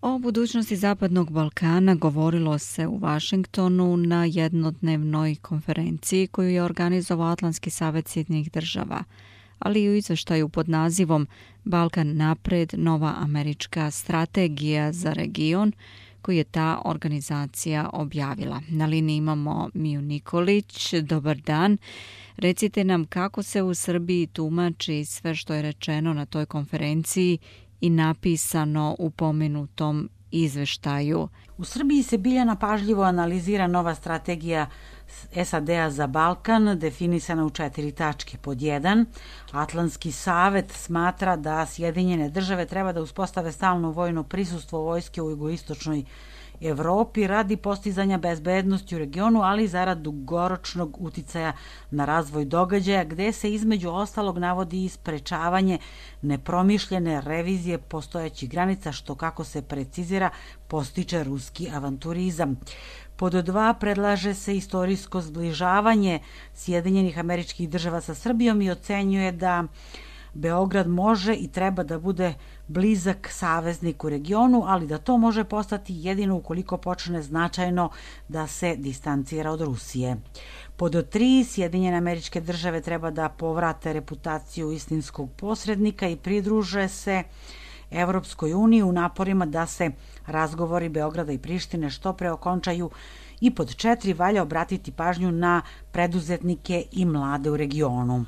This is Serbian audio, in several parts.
O budućnosti Zapadnog Balkana govorilo se u Vašingtonu na jednodnevnoj konferenciji koju je organizovao Atlantski savet Sjedinjenih država, ali i u izveštaju pod nazivom Balkan napred, nova američka strategija za region, koju je ta organizacija objavila. Na liniji imamo Miju Nikolić. Dobar dan. Recite nam kako se u Srbiji tumači sve što je rečeno na toj konferenciji i napisano u pomenutom izveštaju. U Srbiji se Biljana pažljivo analizira nova strategija SAD-a za Balkan, definisana u 4 tačke. Pod 1. Atlantski savet smatra da Sjedinjene države treba da uspostave stalno vojno prisustvo vojske u jugoistočnoj Evropi radi postizanja bezbednosti u regionu, ali zarad dugoročnog uticaja na razvoj događaja, gde se između ostalog navodi i sprečavanje nepromišljene revizije postojećih granica, što, kako se precizira, postiče ruski avanturizam. Pod 2. predlaže se istorijsko zbližavanje Sjedinjenih Američkih Država sa Srbijom i ocenjuje da Beograd može i treba da bude blizak saveznik u regionu, ali da to može postati jedino ukoliko počne značajno da se distancira od Rusije. Pod 3. Sjedinjene Američke Države treba da povrate reputaciju istinskog posrednika i pridruže se Evropskoj uniji u naporima da se razgovori Beograda i Prištine što pre okončaju. I pod 4. valja obratiti pažnju na preduzetnike i mlade u regionu.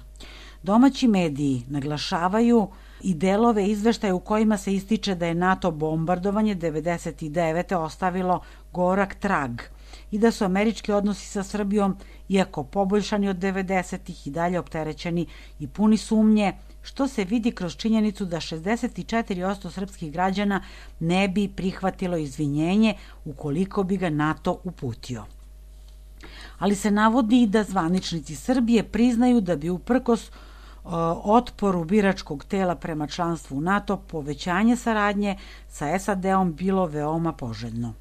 Domaći mediji naglašavaju i delove izveštaja u kojima se ističe da je NATO bombardovanje 1999. ostavilo gorak trag i da su američki odnosi sa Srbijom, iako poboljšani od 90-ih, i dalje opterećeni i puni sumnje, što se vidi kroz činjenicu da 64% srpskih građana ne bi prihvatilo izvinjenje ukoliko bi ga NATO uputio. Ali se navodi i da zvaničnici Srbije priznaju da bi uprkos otporu biračkog tela prema članstvu u NATO povećanje saradnje sa SAD-om bilo veoma poželjno.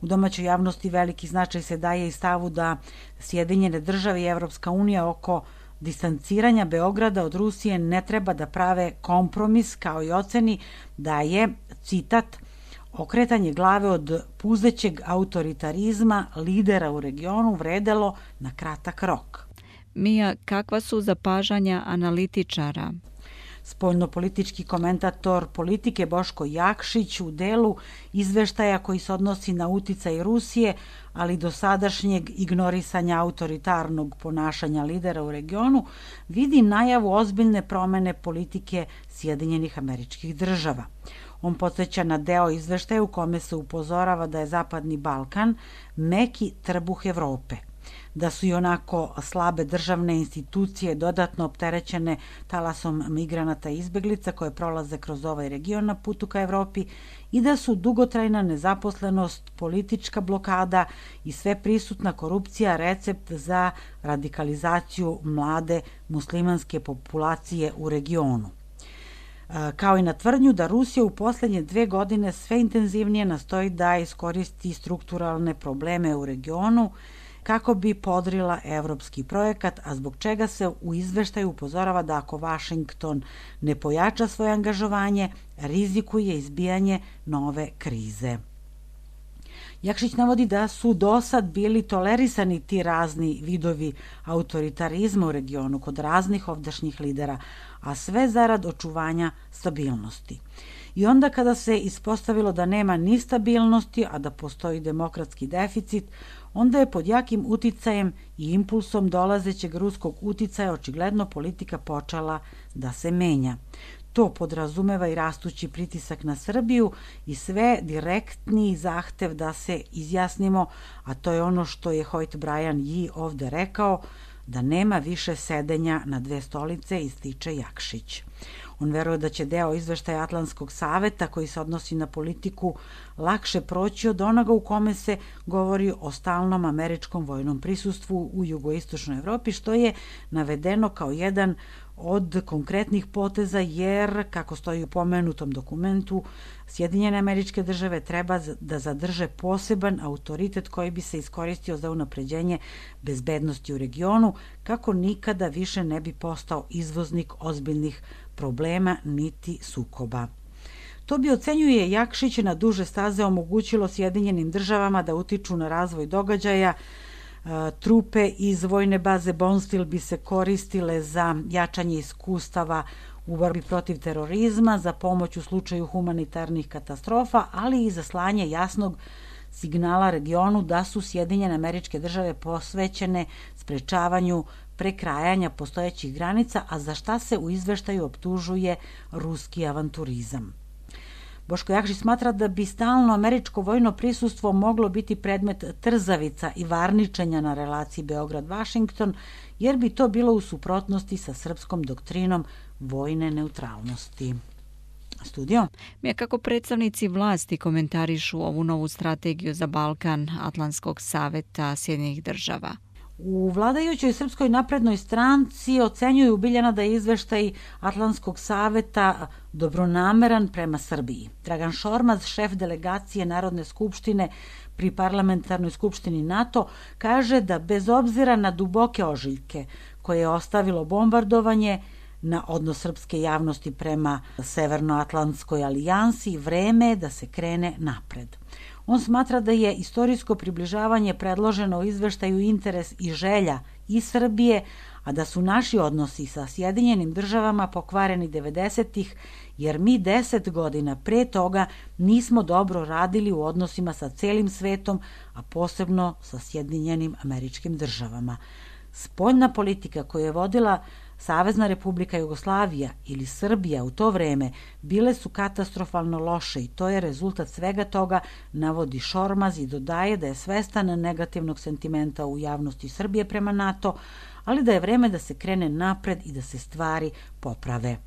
U domaćoj javnosti veliki značaj se daje i stavu da Sjedinjene države i Evropska unija oko distanciranja Beograda od Rusije ne treba da prave kompromis, kao i oceni da je, citat, okretanje glave od puzećeg autoritarizma lidera u regionu vredelo na kratak rok. Mija, kakva su zapažanja analitičara? Spoljnopolitički komentator politike Boško Jakšić u delu izveštaja koji se odnosi na uticaj Rusije, ali do sadašnjeg ignorisanja autoritarnog ponašanja lidera u regionu, vidi najavu ozbiljne promene politike Sjedinjenih Američkih Država. On podsjeća na deo izveštaja u kome se upozorava da je Zapadni Balkan meki trbuh Evrope, da su i onako slabe državne institucije dodatno opterećene talasom migranata i izbeglica koje prolaze kroz ovaj region na putu ka Evropi i da su dugotrajna nezaposlenost, politička blokada i sve prisutna korupcija recept za radikalizaciju mlade muslimanske populacije u regionu. Kao i na tvrdnju da Rusija u poslednje 2 godine sve intenzivnije nastoji da iskoristi strukturalne probleme u regionu kako bi podrila evropski projekat, a zbog čega se u izveštaju upozorava da ako Vašington ne pojača svoje angažovanje, rizikuje izbijanje nove krize. Jakšić navodi da su dosad bili tolerisani ti razni vidovi autoritarizma u regionu kod raznih ovdašnjih lidera, a sve zarad očuvanja stabilnosti. I onda kada se ispostavilo da nema ni stabilnosti, a da postoji demokratski deficit, onda je pod jakim uticajem i impulsom dolazećeg ruskog uticaja očigledno politika počela da se menja. To podrazumeva i rastući pritisak na Srbiju i sve direktni zahtev da se izjasnimo, a to je ono što je Hoyt Bryan Yi ovde rekao, da nema više sedenja na 2 stolice, ističe Jakšić. On veruje da će deo izveštaja Atlantskog saveta koji se odnosi na politiku lakše proći od onoga u kome se govori o stalnom američkom vojnom prisustvu u jugoistočnoj Evropi, što je navedeno kao jedan od konkretnih poteza, jer, kako stoji u pomenutom dokumentu, Sjedinjene Američke Države treba da zadrže poseban autoritet koji bi se iskoristio za unapređenje bezbednosti u regionu, kako nikada više ne bi postao izvoznik ozbiljnih problema niti sukoba. To bi, ocenjuje Jakšić, na duže staze omogućilo Sjedinjenim državama da utiču na razvoj događaja. Trupe iz vojne baze Bonstil bi se koristile za jačanje iskustava u borbi protiv terorizma, za pomoć u slučaju humanitarnih katastrofa, ali i za slanje jasnog signala regionu da su Sjedinjene Američke Države posvećene sprečavanju prekrajanja postojećih granica, a za šta se u izveštaju optužuje ruski avanturizam. Boško Jakšić smatra da bi stalno američko vojno prisustvo moglo biti predmet trzavica i varničenja na relaciji Beograd-Vašington, jer bi to bilo u suprotnosti sa srpskom doktrinom vojne neutralnosti. Studio. Kako predstavnici vlasti komentarišu ovu novu strategiju za Balkan Atlantskog saveta Sjedinjenih država? U vladajućoj Srpskoj naprednoj stranci ocenjuju Biljana da je izveštaj Atlantskog saveta dobronameran prema Srbiji. Dragan Šormaz, šef delegacije Narodne skupštine pri parlamentarnoj skupštini NATO, kaže da bez obzira na duboke ožiljke koje je ostavilo bombardovanje, na odnos srpske javnosti prema Severnoatlantskoj alijansi, vreme je da se krene napred. On smatra da je istorijsko približavanje predloženo u izveštaju interes i želja i Srbije, a da su naši odnosi sa Sjedinjenim državama pokvareni 90-ih, jer mi 10 godina pre toga nismo dobro radili u odnosima sa celim svetom, a posebno sa Sjedinjenim Američkim Državama. Spoljna politika koju je vodila Savezna Republika Jugoslavija ili Srbija u to vreme bile su katastrofalno loše i to je rezultat svega toga, navodi Šormaz i dodaje da je svestan negativnog sentimenta u javnosti Srbije prema NATO, ali da je vreme da se krene napred i da se stvari poprave.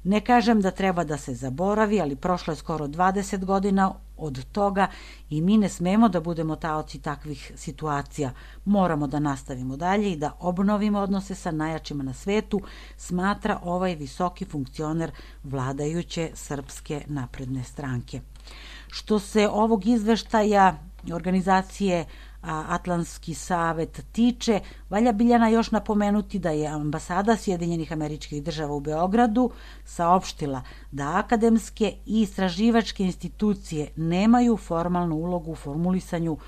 Ne kažem da treba da se zaboravi, ali prošlo je skoro 20 godina od toga i mi ne smemo da budemo taoci takvih situacija. Moramo da nastavimo dalje i da obnovimo odnose sa najjačima na svetu, smatra ovaj visoki funkcioner vladajuće Srpske napredne stranke. Što se ovog izveštaja organizacije Atlantski savet tiče, valja Biljana još napomenuti da je ambasada Sjedinjenih Američkih Država u Beogradu saopštila da akademske i istraživačke institucije nemaju formalnu ulogu u formulisanju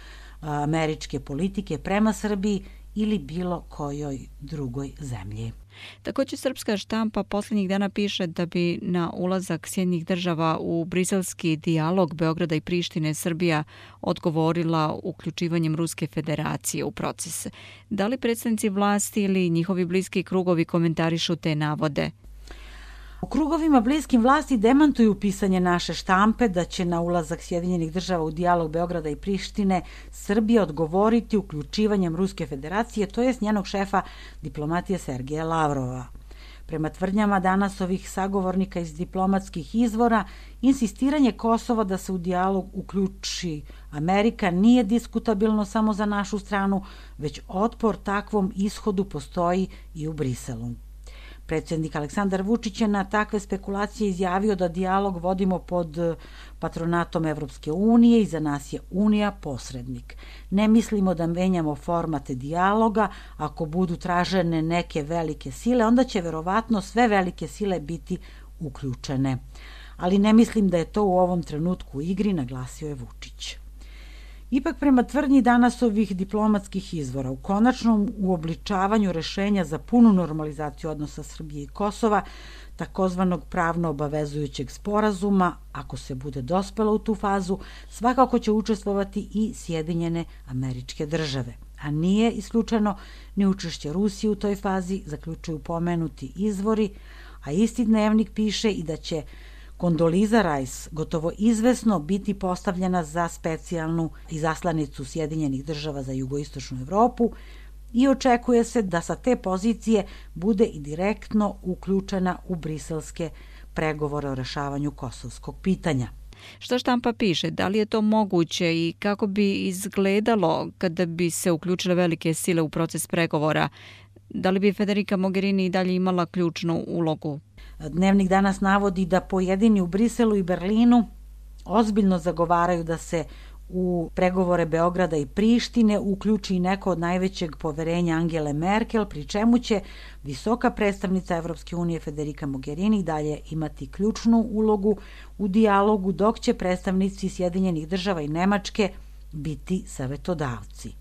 američke politike prema Srbiji ili bilo kojoj drugoj zemlji. Također srpska štampa posljednjih dana piše da bi na ulazak Sjedinjenih država u briselski dijalog Beograda i Prištine Srbija odgovorila uključivanjem Ruske federacije u proces. Da li predstavnici vlasti ili njihovi bliski krugovi komentarišu te navode? U krugovima bliskim vlasti demantuju pisanje naše štampe da će na ulazak Sjedinjenih država u dijalog Beograda i Prištine Srbija odgovoriti uključivanjem Ruske federacije, to jest njenog šefa diplomatije Sergeja Lavrova. Prema tvrdnjama Danasovih sagovornika iz diplomatskih izvora, insistiranje Kosova da se u dijalog uključi Amerika nije diskutabilno samo za našu stranu, već otpor takvom ishodu postoji i u Briselu. Predsjednik Aleksandar Vučić je na takve spekulacije izjavio da dijalog vodimo pod patronatom Evropske unije i za nas je Unija posrednik. Ne mislimo da menjamo formate dijaloga, ako budu tražene neke velike sile, onda će verovatno sve velike sile biti uključene. Ali ne mislim da je to u ovom trenutku u igri, naglasio je Vučić. Ipak prema tvrdnji Danasovih diplomatskih izvora, u konačnom uobličavanju rešenja za punu normalizaciju odnosa Srbije i Kosova, takozvanog pravno obavezujućeg sporazuma, ako se bude dospelo u tu fazu, svakako će učestvovati i Sjedinjene Američke Države. A nije isključeno ni učešće Rusije u toj fazi, zaključuju pomenuti izvori, a isti dnevnik piše i da će Kondoliza Rice gotovo izvesno biti postavljena za specijalnu izaslanicu Sjedinjenih država za jugoistočnu Evropu i očekuje se da sa te pozicije bude i direktno uključena u briselske pregovore o rešavanju kosovskog pitanja. Što štampa piše, da li je to moguće i kako bi izgledalo kada bi se uključile velike sile u proces pregovora? Da li bi Federica Mogherini i dalje imala ključnu ulogu? Dnevnik danas navodi da pojedini u Briselu i Berlinu ozbiljno zagovaraju da se u pregovore Beograda i Prištine uključi i neko od najvećeg poverenja Angele Merkel, pri čemu će visoka predstavnica Evropske unije Federica Mogherini dalje imati ključnu ulogu u dijalogu, dok će predstavnici Sjedinjenih država i Nemačke biti savetodavci.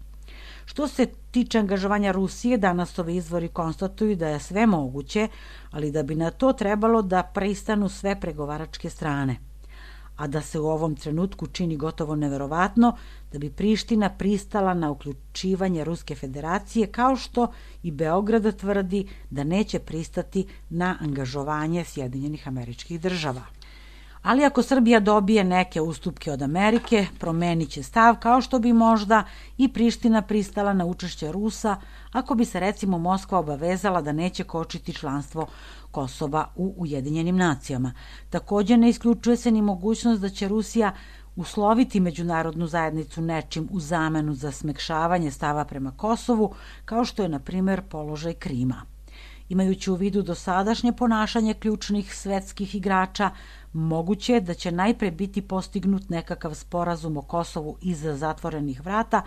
Što se tiče angažovanja Rusije, danas ovi izvori konstatuju da je sve moguće, ali da bi na to trebalo da pristanu sve pregovaračke strane. A da se u ovom trenutku čini gotovo neverovatno da bi Priština pristala na uključivanje Ruske federacije, kao što i Beograd tvrdi da neće pristati na angažovanje Sjedinjenih Američkih Država. Ali ako Srbija dobije neke ustupke od Amerike, promenit će stav, kao što bi možda i Priština pristala na učešće Rusa ako bi se recimo Moskva obavezala da neće kočiti članstvo Kosova u Ujedinjenim nacijama. Također ne isključuje se ni mogućnost da će Rusija usloviti međunarodnu zajednicu nečim u zamenu za smekšavanje stava prema Kosovu, kao što je, na primjer, položaj Krima. Imajući u vidu dosadašnje ponašanje ključnih svetskih igrača, moguće je da će najpre biti postignut nekakav sporazum o Kosovu iza zatvorenih vrata,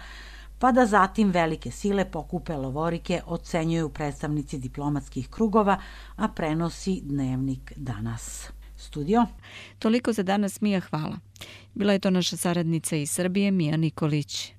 pa da zatim velike sile pokupe lovorike, ocenjuju predstavnici diplomatskih krugova, a prenosi Dnevnik danas. Studio. Toliko za danas, Mija, hvala. Bila je to naša saradnica iz Srbije, Mija Nikolić.